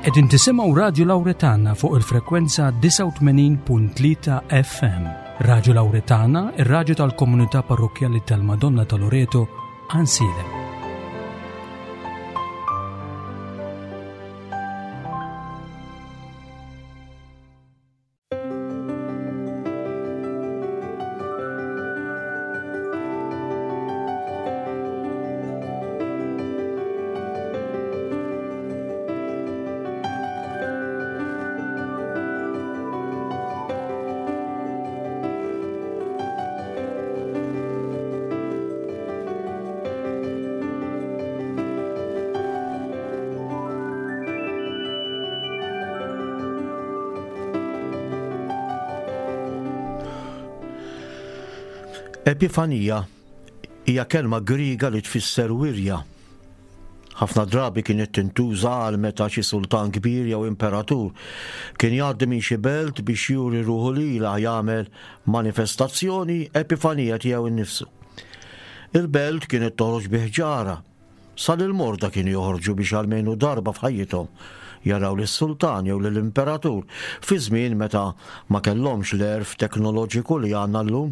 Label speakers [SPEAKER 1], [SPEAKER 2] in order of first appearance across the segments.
[SPEAKER 1] Qegħdin tisimgħu Radju Lawretana fuq il-frekwenza 89.3 FM. Radju Lawretana, ir-radju tal-komunità parrokkjali tal-Madonna ta' Loreto, Ansilem.
[SPEAKER 2] Epifanija hija kelma Griega li tfisser wirja. Ħafna drabi kienet tintuża għal meta xi sultan kbir jew imperatur kien jgħaddi minn xi belt biex juri ruħu lilha jagħmel manifestazzjoni epifanija tiegħu nnifsu. Il-belt kienet toħroġ bi ħġara Sa lill-morda kienu joħorġu biex almenu darba f'ħajjithom jaraw lis-sultan jew lill-imperatur fi żmien meta ma kellhomx l-għerf teknoloġiku li għandna llum.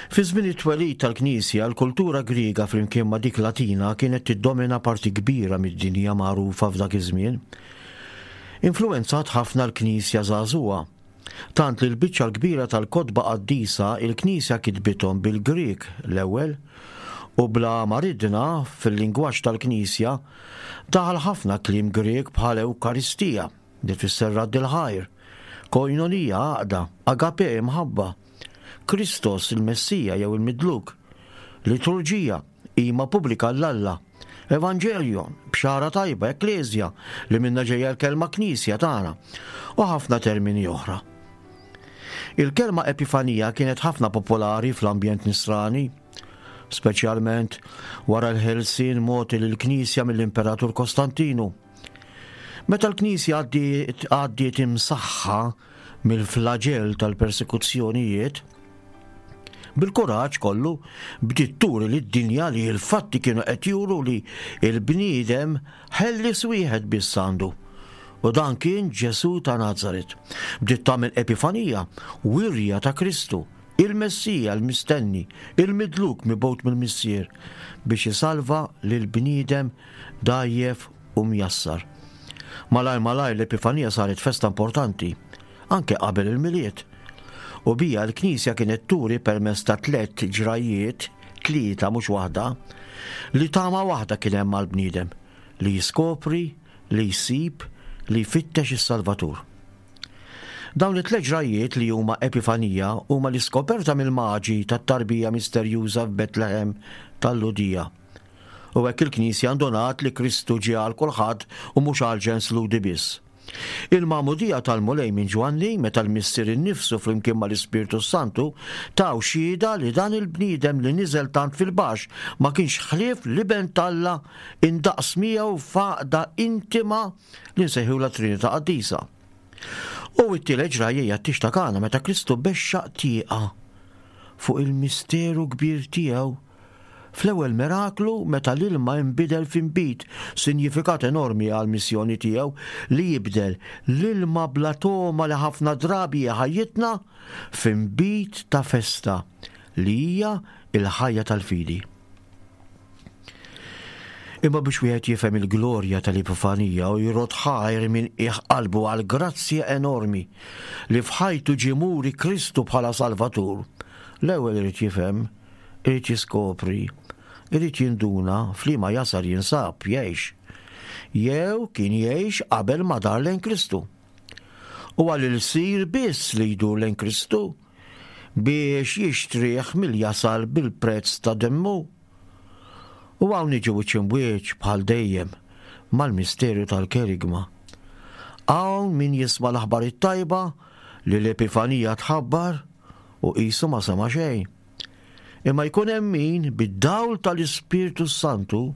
[SPEAKER 2] Fi żmien it-twelid tal-Knisja, l-kultura Griega flimkien ma' dik Latina kienet tiddomina parti kbira mid-dinja magħrufa f'dak iż-żmien. Influwenzat ħafna l-Knisja żagħżugħa. Tant li l-biċċa l-kbira tal-kotba qaddisa il-Knisja kitbithom bil-Grieg l-ewwel, u bla ma ridna fil-lingwaġġ tal-Knisja daħal ħafna kliem Grieg bħal Ewkaristija, li tfisser radd il-ħajr, koinonija, għaqda, agape, imħabba, Kristos, il-Messija jew il-Midluk, liturġija, qima pubblika 'l Alla, Evangelion, bxara tajba, ekklesia, li minnha ġejja l-kelma knisja tagħna, u ħafna termini oħra. Il-kelma Epifanija kienet ħafna popolari fl-ambjent nisrani, speċjalment wara l-ħelsien mogħti lill-Knisja mill-Imperatur Kostantinu. Meta l-Knisja għaddiet imsaħħa mill-flaġell tal-persekuzzjonijiet, bil-kuraġġ kollu bdiet turi lid-dinja li l-fatti kienu qed juru li l-bniedem ħellies wieħed biss għandu, u dan kien Ġesù ta' Nazaret. Bdiet tagħmel epifanija, wirja ta' Kristu, il-Messija l-mistenni, il-midluk mibgħut mill-Missier biex isalva lill-bniedem dgħajjef u mjassar. Malajr malajr l-Epifanija saret festa importanti, anke qabel il-Milied. U bija l-Knisja kienet turi permezz ta' tlett ġrajjiet, tlieta mhux waħda, li tama waħda kien hemm għall-bniedem, li jiskopri, li jsib, li jfittex is-Salvatur. Dawn it-tliet ġrajjiet li huma Epifanija huma l-iskoperta mill-Maġi tat-tarbija misterjuża f'Betlehem tal-Lhudija. U hekk il-Knisja ndunat li Kristu ġie għal kulħadd u mhux għall-ġens Lhudi biss. Il-magħmudija tal-Mulej minn Ġwanni, meta l-Missier innifsu flimkien mal-Ispirtu s-Santu taw xhieda li dan il-bniedem li niżel tant fil-baxx ma kienx ħlief l-Iben t'Alla indaqs miegħu f'għaqda intima li nsejħulha Trinità Qaddisa. U t-tielet ġrajja hija t-tieġ ta' Kana meta Kristu bexxaq tieqa fuq il-misteru kbir tiegħu Fl-ewwel miraklu meta l-ilma inbidel f'inbid, sinjifikat enormi għall-missjoni tiegħu li jibdel l-ilma bla togħma li ħafna drabi hi ħajjitna f'inbid ta' festa li hija l-ħajja tal-fidi. Imma biex wieħed jifhem il-glorja tal-Epifanija u jrodd ħajr minn qiegħ qalbu għall-grazzja enormi li f'ħajtu ġie muri Kristu bħala Salvatur, l-ewwel irid jifhem Irid jiskopri, irid jinduna f'liema jasar jinsab, jgħix. Jew kien jgħix qabel ma dar lejn Kristu. Huwa l-ilsir biss li jdur lejn Kristu biex jixtrih mill-jasar bil-prezz ta' demmu. U hawn niġu wiċċ imbwiċċ bħal dejjem mal-misterju tal-kerigma. Hawn min jisma' l-aħbar it-tajba li l-Epifanija tħabbar u qisu ma sema' xejn. Imma jkun hemm min, bid-dawl tal-Ispirtu s-Santu,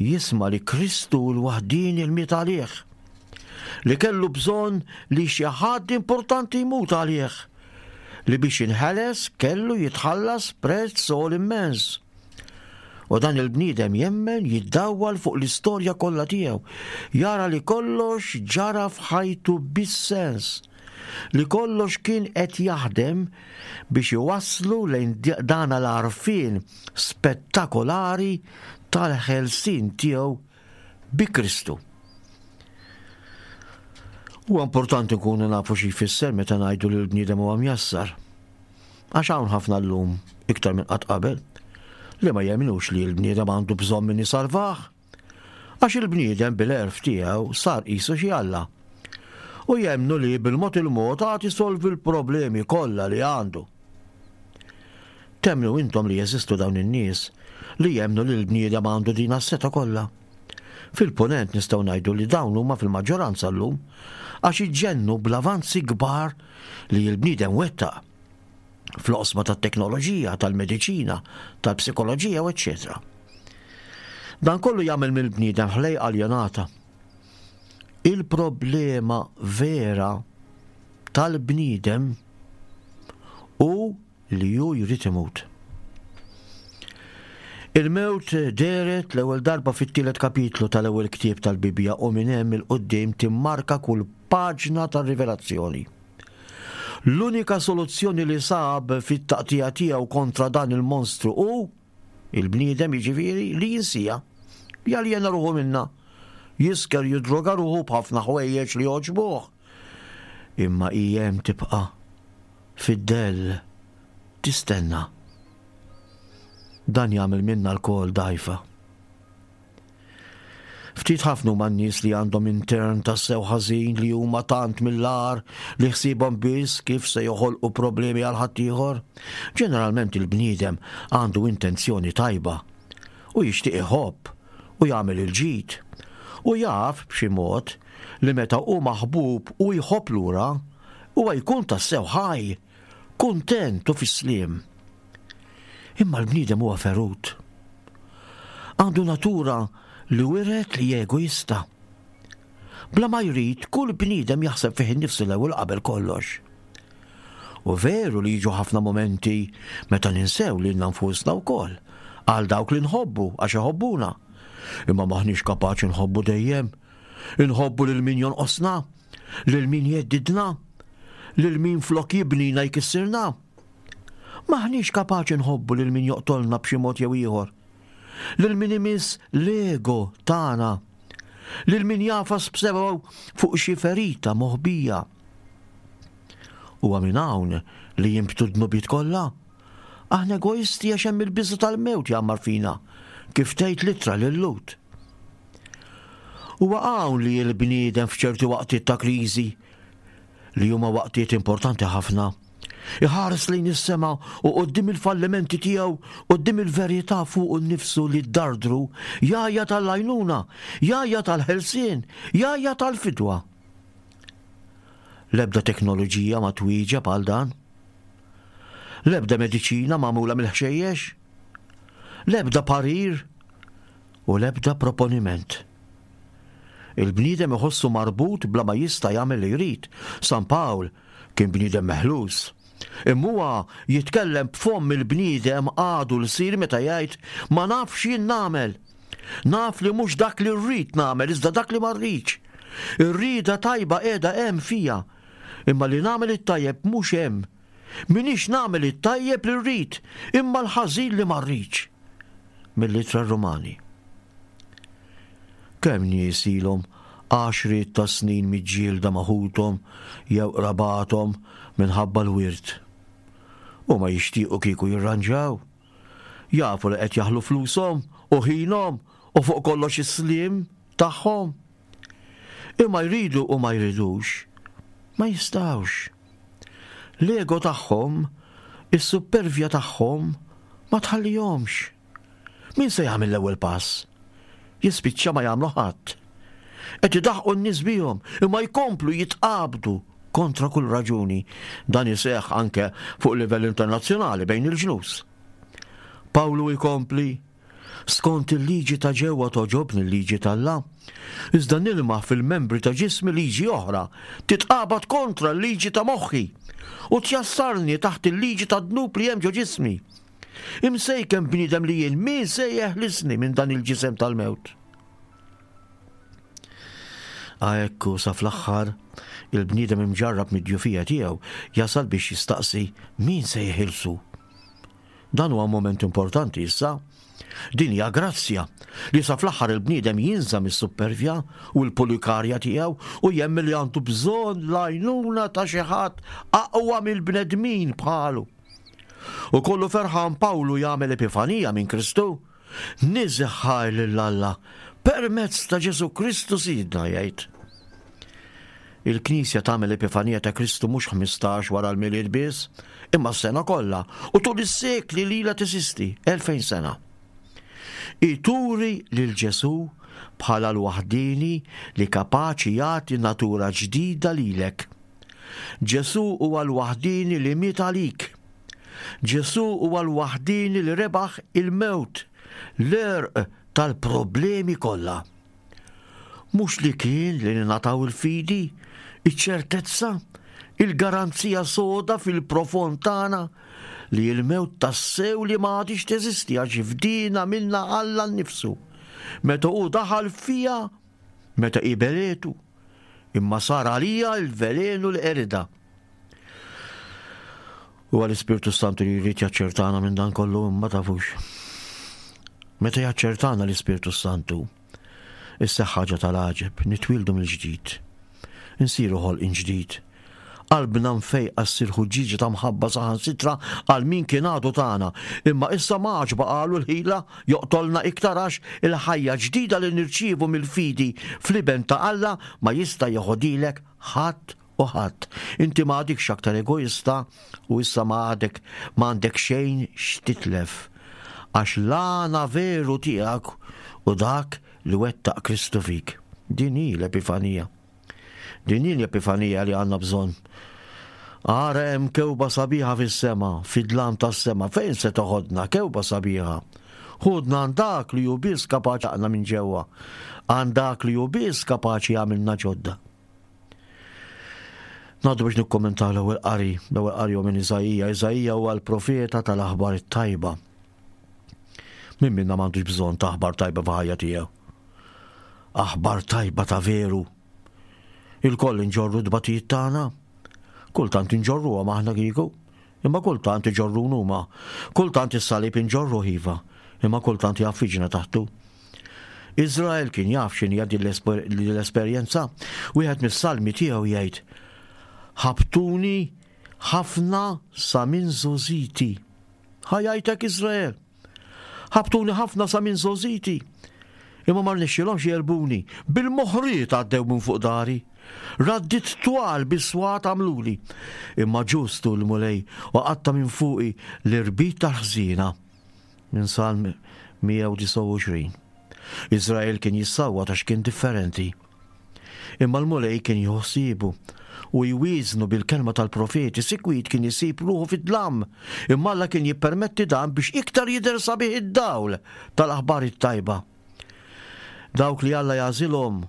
[SPEAKER 2] jisma' li Kristu hu l-waħdieni li miet għalih, li kellu bżonn li xi ħadd importanti jmut għalih, li biex jinħeles kellu jitħallas prezz għoli immens. U dan il-bniedem jemmen jiddawwal fuq l-istorja kollha tiegħu, jara li kollox ġara f'ħajtu bis-sens, li kollox kien qed jaħdem biex iwasslu lejn dan l-għarfien spettakolari tal-ħelsien tiegħu bi Kristu. Huwa importanti nkunu nafu xi jfisser meta ngħidu li l-bniedem huwa mjassar. Għax hawn ħafna llum, iktar minn qatt qabel, li ma jemmnux li l-bniedem għandu bżonn min isalvah. Għax il-bniedem bil-għerf tiegħu sar qisu xi Alla. U jemmnu li bil-mod il-mod għad isolvi l-problemi kollha li għandu. Temmnu intom li jeżistu dawn in-nies li jemmnu li l-bniedem għandu din s-setgħa kollha? Fil-Punent nistgħu ngħidu li dawn huma fil-maġġoranza llum għax iġġennu bl-avanzi kbar li l-bniedem wettaq fl-oqsma tat-teknoloġija, tal-mediċina, tal-psikoloġija u eċċetera. Dan kollu jagħmel mill-bniedem ħlejqa aljenata. Il-problema vera tal-bniedem hu li hu jrid imut. Il-mewt dehret l-ewwel darba fit-tielet kapitlu tal-ewwel ktieb tal-Bibbja u minn hemm 'il quddiem timmarka kull paġna tar-Rivelazzjoni. L-unika soluzzjoni li sab fit-taqtigħa tiegħu kontra dan il-monstru hu, il-bniedem jiġifieri, li jinsieha, jaljena ruħu minnha, jisker jiddroga ruħu b'ħafna ħwejjeġ li jogħġbuh. Imma hi hemm tibqa', fid-dell, tistenna. Dan jagħmel minna lkoll dgħajfa. Ftit ħafna huma n-nies li għandhom intern tassew ħażin li huma tant mill-agħar li ħsiebhom biss kif se joħolqu problemi għal ħaddieħor. Ġeneralment il-bniedem għandu intenzjoni tajba u jixtieq iħobb u jagħmel il-ġid. U jaf b'xi mod li meta hu maħbub u jħobb lura, huwa jkun tassew ħaj, kuntent u fis-sliem. Imma l-bniedem huwa ferut. Għandu natura li wiret li egoista. Bla ma jrid, kull bniedem jaħseb fih innifsu l-ewwel qabel kollox. U veru li jiġu ħafna mumenti meta ninsew lilna nfusna wkoll għal dawk li nħobbu għax iħobbuna. Imma m'aħniex kapaċi nħobbu dejjem. Inħobbu lil min jonqosna, lil min jheddidna, lil min flok jibnina jkissirna. M'aħniex kapaċi nħobbu lil min joqtolna b'xi mod jew ieħor. Lil min imiss l-ego tagħna. Lil min jagħfas b'sebgħu fuq xi ferita moħbija. Huwa minn hawn li jinbtu d-dnubiet kollha. Aħna egoisti għax hemm il-biża' tal-mewt jgħammar fina, kif tgħid l-ittra lil Lut. Huwa hawn li l-bniedem f'ċerti waqtiet ta' kriżi, li huma waqtiet importanti ħafna, iħares lejn is-sema u quddiem il-fallimenti tiegħu, quddiem il-verità fuqu nnifsu li ddardru, jgħajjat għall-għajnuna, jgħajjat għall-ħelsien, jgħajjat għall-fidwa. L-ebda teknoloġija ma twieġeb għal dan. L-ebda mediċina magħmula mill-ħxejjex. L-ebda parir u l-ebda proponiment. Il-bniedem iħossu marbut bla ma jista' jagħmel li jrid. San Pawl kien bniedem meħlus. Imma huwa jitkellem b'fomm il-bniedem għadu lsir meta jgħid ma nafx x'jien nagħmel. Naf li mhux dak li rrid nagħmel iżda dak li ma rridx. Ir-rieda tajba qiegħda hemm fija, imma li nagħmel it-tajjeb mhux hemm. M'iniex nagħmel it-tajjeb li rrid, imma l-ħażin li ma rridx. Mill-Ittra Rumani. Kemm nies ilhom għaxriet ta' snin miġġielda ma' ħuthom jew qrabathom minħabba l-wirt. Huma jixtiequ kieku jirranġaw. Jafu li qed jaħlu flushom u ħinhom u fuq kollox is-sliem tagħhom. Imma jridu u ma jridux, ma jistgħux. L-ego tagħhom, is-suppervja tagħhom ma tħallihomx. Min se jagħmel l-ewwel pass? Jispiċċa ma jagħmlu ħadd. Qed idaħqu n-nies bihom imma jkomplu jitqabdu kontra kull raġuni. Dan iseħħ anke fuq livell internazzjonali bejn il-ġnus. Pawlu jkompli Skont il-liġi ta' ġewwa togħġobni l-liġi t'Alla, iżda nilmaħ fil-membri ta' ġismi liġi oħra, titqabad kontra l-liġi ta' moħħi, u tjassarni taħt il-liġi tad-dnub li hemm ġo ġismi. Imsejken bniedem li jien, min se jeħlisni minn dan il-ġisem tal-mewt? Ekku sa fl-aħħar il-bniedem imġarrab mid-djufija tiegħu jasal biex jistaqsi min se jeħilsu. Dan huwa moment importanti issa. Din hija grazzja li sa fl-aħħar il-bniedem jinża mis-suppervja u l-pulikarja tiegħu u jemmen li għandu bżonn l-għajnuna ta' xi ħadd aqwa mill-bnedmin bħalu. U kollu ferħan Pawlu jagħmel epifanija minn Kristu. Niżħaj lil Alla permezz ta' Ġesu Kristu Sidna jgħid. Il-Knisja tagħmel Epifanija ta' Kristu mhux 15 wara l-Milied biss, imma s-sena kollha u tul is-sekli li ilha teżisti, 2000 sena. Hi turi lil Ġesù bħala l-waħdieni li kapaċi jagħti natura ġdida lilek. Ġesù huwa l-waħdieni li miet għalik. Ġesù huwa l-waħdieni li rebaħ il-mewt, l-għerq tal-problemi kollha. Mhux li kien li ningħataw il-fidi, iċ-ċertezza, il-garanzija soda fil-profond tagħna li l-mewt tassew li ma għadhiex teżisti għax fdiena minna Alla nnifsu. Meta hu daħal fija, meta hi beletu, imma sar għalija l-velenu li qeridha. Huwa l-Ispirtu Santu li jrid jaċċertana minn dan kollu imma tafux. Meta jaċċertana l-Ispirtu Santu, Isseħħ ħaġa tal-għaġeb, nitwieldu mill-ġdid. Insiru ħolqien ġdid. Qalbna mfejqa ssir ħuġġieġa ta' mħabba saħansitra għal min kien għadu tagħna, imma issa ma għadx baqagħlu l-ħila joqtolna iktar għax il-ħajja ġdida li nirċievu mill-fidi fl-Iben ta' Alla ma jista' jeħodhielek ħadd u ħadd. Inti ma għadikx aktar egoista u issa ma għadek ma għandek xejn x'titlef. Għax l-għana veru tiegħek u dak li wettaq Kristu fik. Din hi l-Epifanija. Din hi l-Epifanija li għandna bżonn. Ara hemm kewba sabiħa fis-sema, fid-dlam tas-sema, fejn se toħodna kewba sabiħa? Ħudna għand dak li hu biss kapaċi jaqna minn ġewwa, għand dak li hu biss kapaċi jagħmilna ġodda. Ngħaddu biex nikkommentaw l-ewwel qari, l-ewwel qari hu minn Iżaija. Iżaija huwa l-profeta tal-aħbar it-tajba. Min minna m'għandux bżonn ta' aħbar tajba f'ħajja tiegħu? Aħbar tajba ta' veru. Il-koll inġorru d-batijiet tagħna. Kultant inġorruhom aħna kieku, imma kultant iġorrun huma. Kultant is-salib inġorru iva, imma kultant jaffiġna taħtu. Iżrael kien jaf x'inhija din l-esperjenza. Wieħed mis-salmi tiegħu jgħid, Ħabtuni ħafna sa minn żgħożiti. Ħa jgħidlek Iżrael. Ħabtuni ħafna sa minn żgħożiti. Imma ma rnexxielhomx jegħlbuni. Bil-moħriet għaddew minn fuq dari. Raddiet twal bis-swat għamluli. Imma ġust hu l-Mulej u qatta' minn fuqi l-irbit tal-ħżiena. Minn Salm 129. Iżrael kien jissawwat għax kien differenti. Imma l-Mulej kien jieħu ħsiebu u jwieżnu bil-kelma tal-profeti, sikwit kien isib ruħu fid-dlam, imma Alla kien jippermetti dan biex iktar jidher sabiħ id-dawl tal-aħbar it-tajba. Dawk li Alla jagħżilhom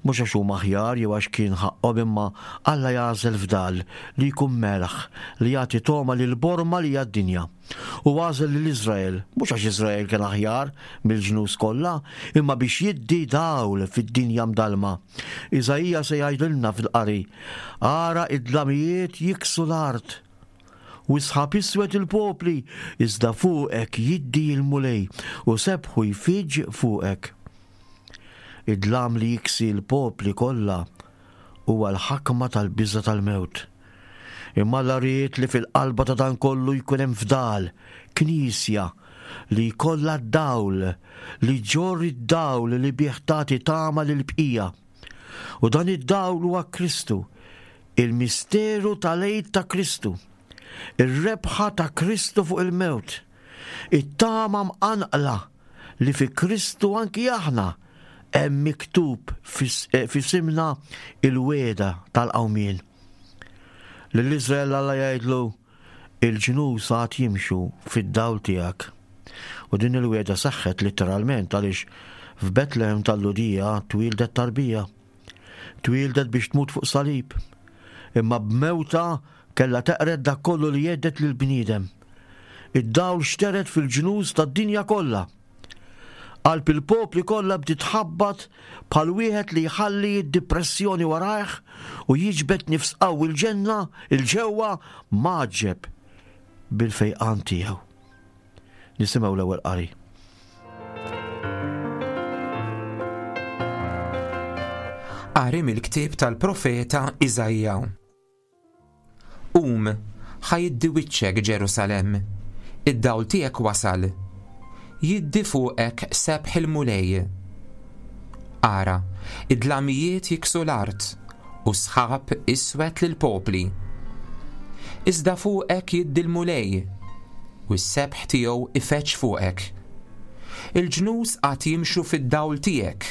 [SPEAKER 2] Mhux għax huma aħjar jew għax kien ħaqqhom imma Alla jagħżel fdal li jkun melħ li jagħti togħma lill-borma li hija d-dinja. U għażel lil Iżrael, mhux għax Iżrael kien aħjar mill-ġnus kollha, imma biex jiddi dawl fid-dinja mdallma. Iżaija se jgħidilna fil-qari, Ara id-dlamijiet jiksu l-art, u s-sħab iswed il-popli, iżda fuqek jiddi l-Mulej, u sebħu jfiġġ fuqek. Id-dlam li jiksi l-popli kollha huwa l-ħakma tal-biża' tal-mewt. Imma Alla ried li fil-qalba ta' dan kollu jkun hemm fdal, Knisja, li jkollha d-dawl, li ġġorr id-dawl li bih tagħti tama lill-bqija. U dan id-dawl huwa Kristu, il-misteru tal-Għid ta' Kristu, ir-rebħa ta' Kristu fuq il-mewt, it-tama mqanqla li fi Kristu anki aħna hemm miktub eh, f'isimna il-wegħda tal-qawmien. Lil Iżrael Alla jgħidlu il-ġnus għad jimxu fid-dawl tiegħek. U din il-wegħda seħħet litteralment għaliex f'Betlehem tal-Lhudija twieldet tarbija. Twieldet biex tmut fuq salib. Imma b'mewta kellha teqred dak kollu li jgħeddet lill-bniedem. Id-dawl xtered fil-ġnus tad-dinja kollha. Qalb il-popli kollha bdiet tħabbat bħal wieħed li jħalli d-dipressjoni warajh u jiġbed nifs qawwi l-ġenna 'l ġewwa mgħaġġeb bil-fejqan tiegħu. Nisimgħu l-ewwel qari.
[SPEAKER 3] Qari mill-ktieb tal-profeta Iżaija. Qum, ħa jiddi wiċċek, Ġerusalemm, id-dawl tiegħek wasal. Jiddi fuqek sebħ il-Mulej. Ara, id-dlamijiet jiksu l-art, u s-sħab iswed lill-popli. Iżda fuqek jiddi l-Mulej, u s-sebħ tiegħu ifeġġ fuqek. Il-ġnus għad jimxu fid-dawl tiegħek,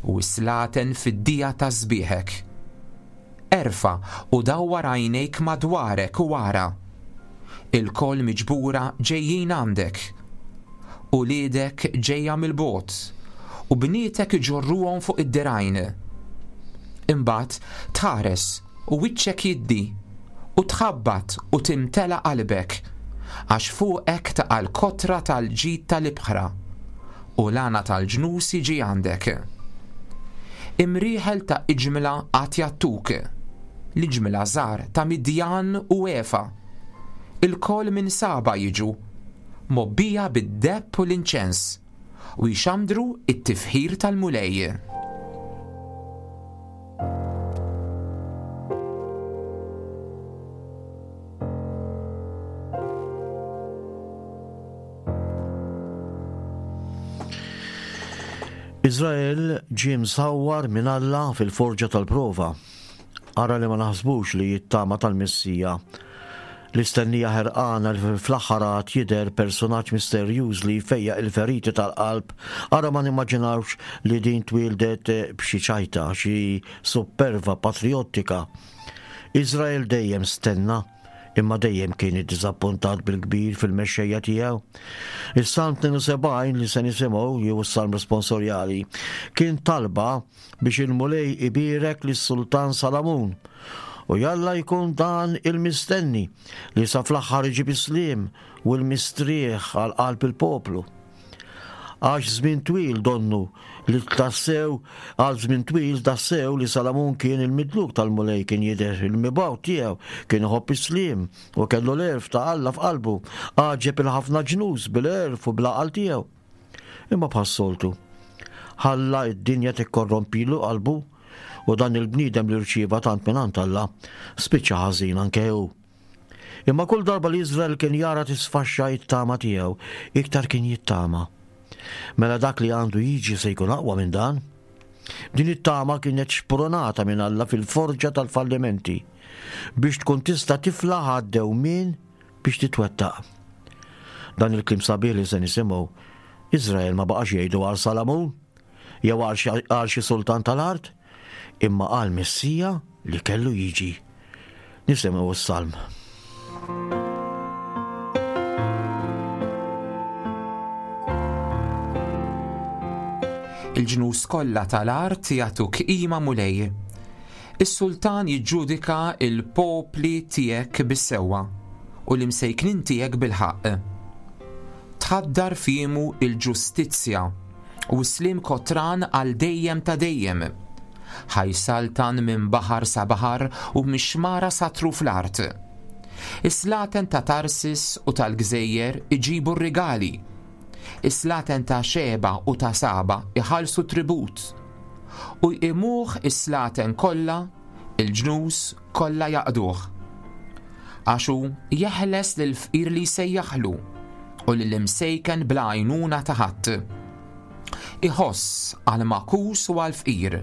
[SPEAKER 3] u s-slaten fid-dija ta' sbieħek. Erfa' u dawwar għajnejk madwarek u ara. Ilkoll miġbura ġejjin għandek. Uliedek ġejja mill-bogħod, u bnietek iġorruhom fuq id-dirgħajn. Imbagħad tħares u wiċċek jiddi, u tħabbat u timtela qalbek, għax fuqek taqa' l-kotra tal-ġid tal-ibħra, u l-għana tal-ġnus jiġi għandek. Imrieħel ta' iġmla għad jgħattuk, l-iġmla żgħar ta' Midjan u Efa. Ilkoll minn Saba jiġu, mgħobbija bid-deheb u l-inċens, u jxandru t-tifħir tal-Mulej.
[SPEAKER 2] Iżrael ġie msawwar minn Alla fil-forġa tal-prova. Ara li ma naħsbux li t-tama tal-Messija, l-istennija ħerqana li fl-aħħar għad jidher persunaġġ misterjuż li jfejjaq il-feriti tal-qalb, ara ma nimmaġinawx li din twieldet b'xi ċajta, xi supperva patrijottika. Iżrael dejjem stenna imma dejjem kien iddiżappuntat bil-kbir fil-mexxejja tiegħu. Is-Salm 72 li se nisimgħu jew is-Salm responsorjali kien talba biex il-Mulej ibierek lis-Sultan Salamun. U jalla jkun dan il-mistenni li sa fl-aħħar iġib is-sliem u l-mistrieħ għal qalb il-poplu. Għax żmien twil donnu li tassew għal żmien twil tassew li Salamun kien il-midluk tal-Mulej kien jidher il-mibgħut tiegħu, kien iħobb is-sliem u kellu l-għerf ta' Alla f'qalbu, għaġeb il-ħafna ġnus bil-għerf u bl-għaqal tiegħu. Imma bħas-soltu, ħalla d-dinja tikkorrompilu qalbu u dan il-bniedem li rċieva tant mingħand Alla spiċċa ħażin anke hu. Imma kull darba li Iżrael kien jara tisfaxxa it-tama tiegħu, iktar kien jittama. Mela dak li għandu jiġi se jkun aqwa minn dan. Din it-tama kienet xpronata minn Alla fil-forġa tal-fallimenti biex tkun tista' tiflaħ għad-dewmien biex titwettaq. Dan il-kliem sabiħ li se nisimgħu, Iżrael ma baqax jgħidu għal Salamun jew għal xi sultan tal-art, imma għal Messija li kellu jiġi. Nisimgħu s-salm.
[SPEAKER 3] Il-ġnus kollha tal-art jagħtuk qima Mulej. Is-sultan jiġġudika l-popli tiegħek bis-sewwa u l-imsejknin tiegħek bil-ħaqq. Tħaddar f'jiemu l-ġustizzja u s-sliem kotran għal dejjem ta' dejjem. Ħa jsaltan minn baħar sa baħar u mix-xmara sa truf l-art. Is-slaten ta' Tarsis u tal-gżejjer iġibu r-rigali. Is-slaten ta' Xeba u ta' Saba iħallsu tribut. U jqimuh is-slaten kollha, il-ġnus kollha jaqduh. Għax hu jeħles lill-fqir li jsejjaħlu u lill-imsejken bla għajnuna ta' ħadd. Iħoss għall-magħkus u għall-fqir,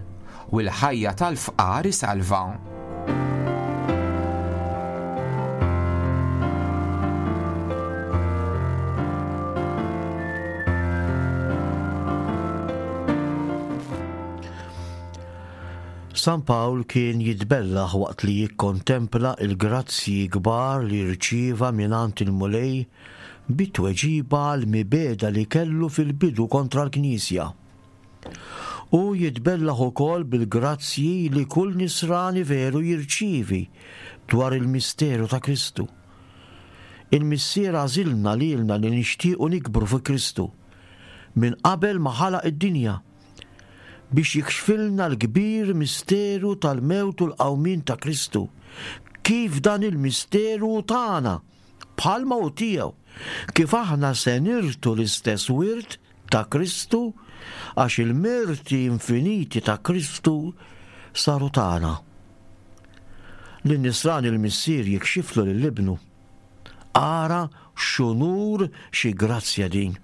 [SPEAKER 3] u l-ħajja tal-fqar isalva.
[SPEAKER 2] San Pawl kien jitbellaħ waqt li jikkontempla l-grazzji kbar li rċieva mingħand il-Mulej bi tweġiba għall-mibegħda li kellu fil-bidu kontra l-Knisja. Hu jitbellaħ ukoll bil-grazzji li kull Nisrani veru jirċievi dwar il-misteru ta' Kristu. Il-Missier għażilna lilna li nixtiequ nikbru fi Kristu minn qabel ma ħalaq id-dinja, biex jikxfilna l-kbir misteru tal-mewt u l-qawmien ta' Kristu, kif dan il-misteru hu tagħna, bħalma hu tiegħu, kif aħna se nirtu l-istess wirt ta' Kristu, għax il-merti infiniti ta' Kristu saru tagħna. Lin-nisrani l-Missier jikxiflu lil Ibnu. Ara x'unur xi grazzja din!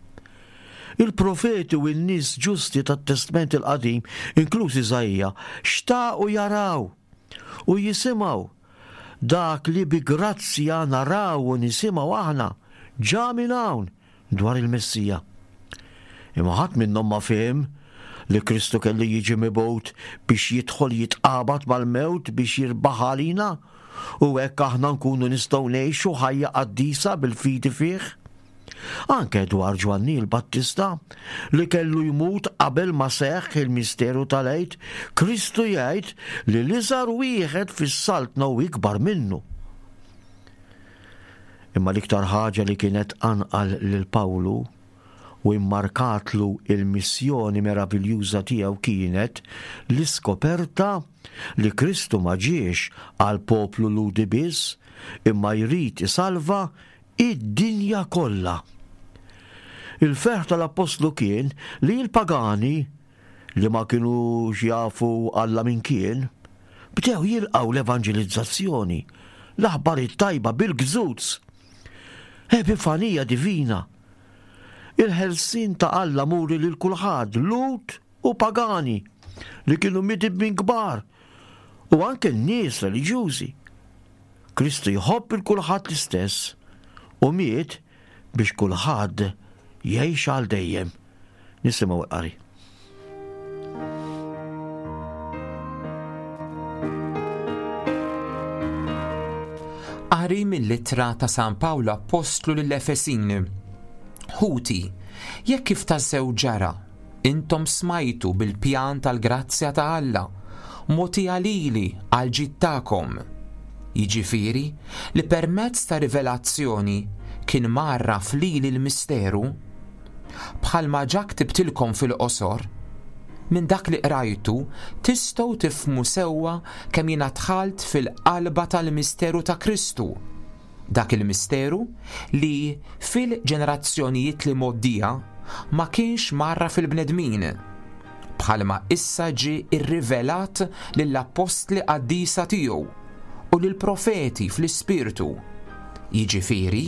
[SPEAKER 2] Il-profeti u n-nies ġusti tat-Testment il-Qadim, inkluż Iżaija, xtaqu jaraw u jisimgħu dak li bi grazzja naraw u nisimgħu aħna ġa minn hawn dwar il-Messija. Imma ħadd minnhom ma fehem li Kristu kellu jiġi mibgħut biex jidħol jitqabad mal-mewt biex jirbaħha għalina u hekk aħna nkunu nistgħu ngħixu ħajja qaddisa bil-fidi fih. Anke dwar Ġwanni l-Battista, li kellu jmut qabel ma seħħ il-misteru tal-Għid, Kristu jgħid li l-iżgħar wieħed fis-saltna hu ikbar minnu. Imma l-iktar ħaġa li kienet tqanqal lil Pawlu u immarkatlu l-missjoni meraviljuża tiegħu kienet l-iskoperta li Kristu ma ġiex għall-poplu Lhudi biss, imma jrid isalva id-dinja kollha. Il-ferħ tal-appostlu kien li l-pagani li ma kinux jafu Alla min kien, bdew jilqgħu l-evanġelizzazzjoni, l-aħbar it-tajba bil-gżuz. Epifanija divina. Il-ħelsien ta' Alla muri lil kulħadd, Lhud u pagani, li kienu midibmin kbar, u anke n-nies reliġjużi. Kristu jħobb il kulħadd l-istess u miet biex kulħadd jgħix għal dejjem. Nisimgħu l-qari.
[SPEAKER 3] Qari mill-ittra ta' San Pawl Appostlu lill-Efesin. Ħuti, jekk kif tassew ġara, intom smajtu bil-pjan tal-grazzja ta' Alla, mogħtija lili għall-ġid tagħkom. Jiġifieri li permezz ta' rivelazzjoni kien mgħarraf lili l-misteru, Bħalma ġa ktibtilkom fil-qosor, minn dak li qrajtu tistgħu tifhmu sewwa kemm jiena dħalt fil-qalba tal-misteru ta' Kristu, dak il-misteru li fil-ġenerazzjonijiet li mgħoddija ma kienx mgħarraf il-bnedmin, bħalma issa ġie rrivelat lill-appostli qaddisa tiegħu u lill-profeti fl-Ispirtu, jiġifieri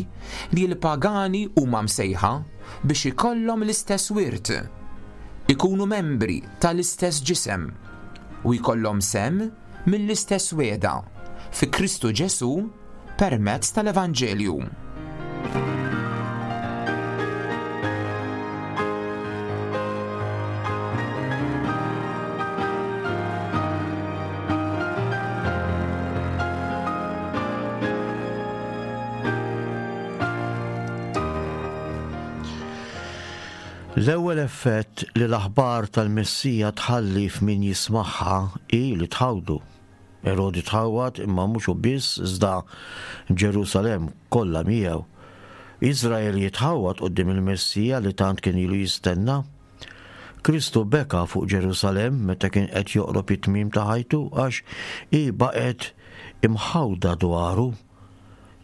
[SPEAKER 3] li l-pagani huma msejħa biex ikollhom l-istess wirt, ikunu membri tal-istess ġisem u jkollhom sehem mill-istess wegħda fi Kristu Ġesù permezz tal-Evanġelju.
[SPEAKER 2] L-ewwel effett li l-aħbar tal-Messija tħalli f'min jismagħha hi li tħawdu. Erodi tħawwad imma mhux hu biss iżda Ġerusalemm kollha miegħu. Iżrael jitħawwad quddiem il-Messija li tant kien ilu jistenna. Kristu beka fuq Ġerusalemm meta kien qed joqrob it-tmiem ta' ħajtu għax hi baqgħet imħawda dwaru.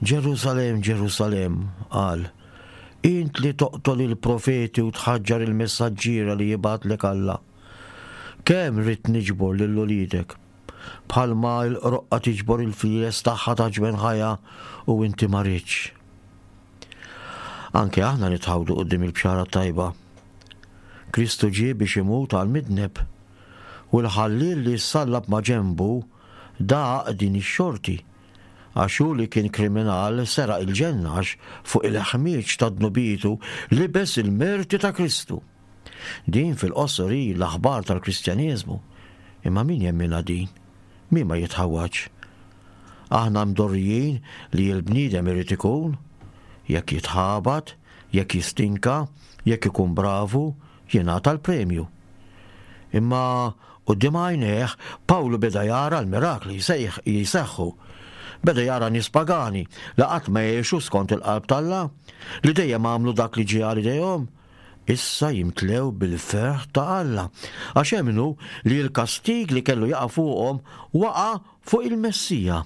[SPEAKER 2] Ġerusalemm, Ġerusalemm, qal, int li toqtol il-profeti u tħaġġar il-messaġġiera li jibgħatlek Alla. Kemm ridt niġbor lil uliedek, bħalma l-qroqqa tiġbor il-flieles tagħha ta' ġwenħajha u inti ma ridtx. Anke aħna nitħawdu quddiem il-bxara t-tajba. Kristu ġie biex imut għall-midneb, u l-ħalliel li ssallab ma' ġenbu daq din ix-xorti, għax hu li kien kriminal seraq il-ġenna għax fuq il-ħmieġ ta' dnubietu libes il-merti ta' Kristu. Din fil-qosor hi l-aħbar tal-Kristjaneżmu. Imma min jemminha din? Min ma jitħawwadx? Aħna mdorrijin li l-bniedem irid ikun, jekk jitħabat, jekk jistinka, jekk ikun bravu, jingħata l-premju. Imma quddiem għajnejh Pawlu beda jara l-mirakli jseħħu. Beda jara nies pagani li qatt ma għexu skont il-qalb t'Alla, li dejjem għamlu dak li ġie għal idejhom, issa jimtlew bil-ferħ ta' Alla, għax emmnu li l-kastig li kellu jaqa' fuqhom waqa' fuq il-Messija,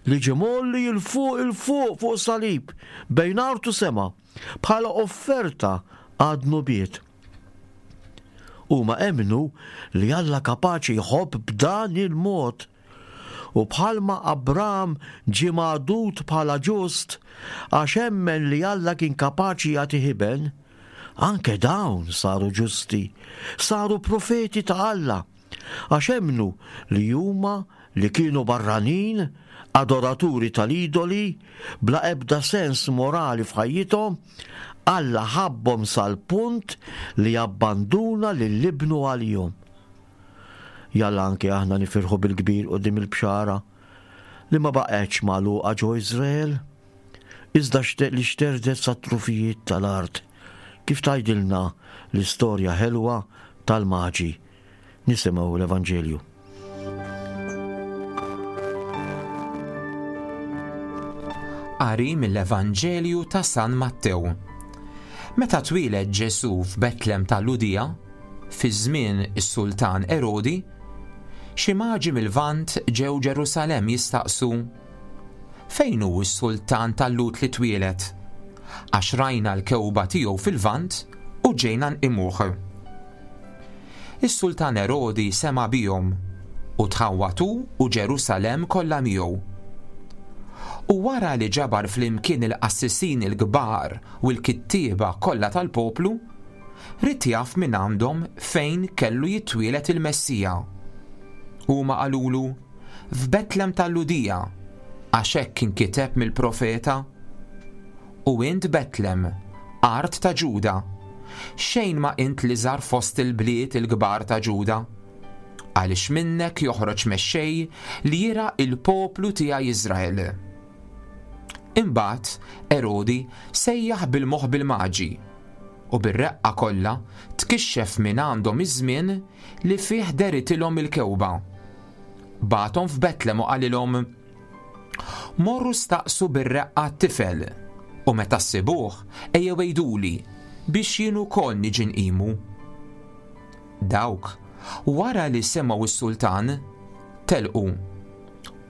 [SPEAKER 2] li ġie mgħolli 'l fuq 'il fuq fuq salib, bejn art u sema, bħala offerta għad-dnubiet. Huma emmnu li Alla kapaċi jħobb b'dan il-mod. U bħalma Abram ġie magħdud bħala ġust għax emmen li Alla kien kapaċi jagħtih iben, anke dawn saru ġusti, saru profeti ta' Alla, għax emmnu li huma li kienu barranin, adoraturi tal-idoli, bla ebda sens morali f'ħajjithom, Alla ħabbhom sal-punt li abbanduna lil Ibnu għalihom. Jalla anke aħna nifirħu bil-kbir quddiem il-bxara li ma baqgħetx magħluqa ġo Iżrael, iżda li xterdet sat-trufijiet tal-art, kif tgħidilna l-istorja ħelwa tal-Maġi. Nisimgħu l-Evanġelju.
[SPEAKER 3] Qari mill-Evanġelju ta' San Mattew. Meta twieled Ġesù f'Betlem tal-Lhudija, fi żmien is-sultan Erodi, xi maġi mil-Lvant ġew Ġerusalemm jistaqsu, Fejn hu s-sultan tal-Lhud li twieled? Għax rajna l-kewba tiegħu fil-Lvant u ġejna nqimuh. Is-sultan Erodi sema' bihom, u tħawwad hu u Ġerusalemm kollha miegħu. U wara li ġabar flimkien il-qassisin il-kbar u l-kittieba kollha tal-poplu, ried jaf mingħandhom fejn kellu jitwieled il-Messija. Huma qalulu, F'Betlem tal-Lhudija, għax hekk inkiteb mill-profeta, U int Betlem, art ta' Ġuda, xejn ma int l-iżgħar fost il-bliet il-kbar ta' Ġuda, għaliex minnek joħroġ mexxej li jirgħa l-poplu tiegħi Iżrael. Imbagħad Erodi sejjaħ bil-moħbi l-Maġi, u bir-reqqa kollha tkixxef mingħandhom iż-żmien li fih dehritilhom il-kewba. Bagħathom f'Betlem u qalilhom, Morru staqsu bir-reqqa t-tifel, u meta ssibuh ejjew għiduli biex jien ukoll niġi nqimu. Dawk, wara li semgħu s-sultan, telqu.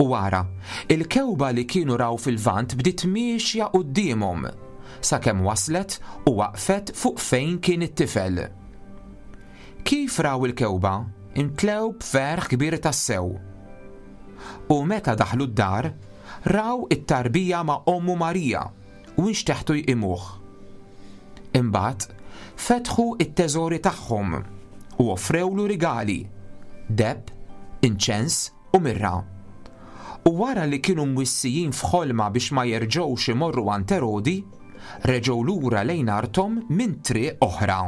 [SPEAKER 3] U ara, il-kewba li kienu raw fil-Lvant bdiet miexja quddiemhom, sakemm waslet u waqfet fuq fejn kien it-tifel. Kif raw il-kewba, imtlew b'ferħ kbir tassew. U meta daħlu d-dar, raw it-tarbija ma' ommu Marija u nxteħtu jqimuh. Imbagħad fetħu t-teżori tagħhom u offrewlu rigali, deheb, inċens u mirra. U wara li kienu mwissijin f'ħolma biex ma jerġgħux imorru għand Erodi, reġgħu lura lejn arthom minn triq oħra.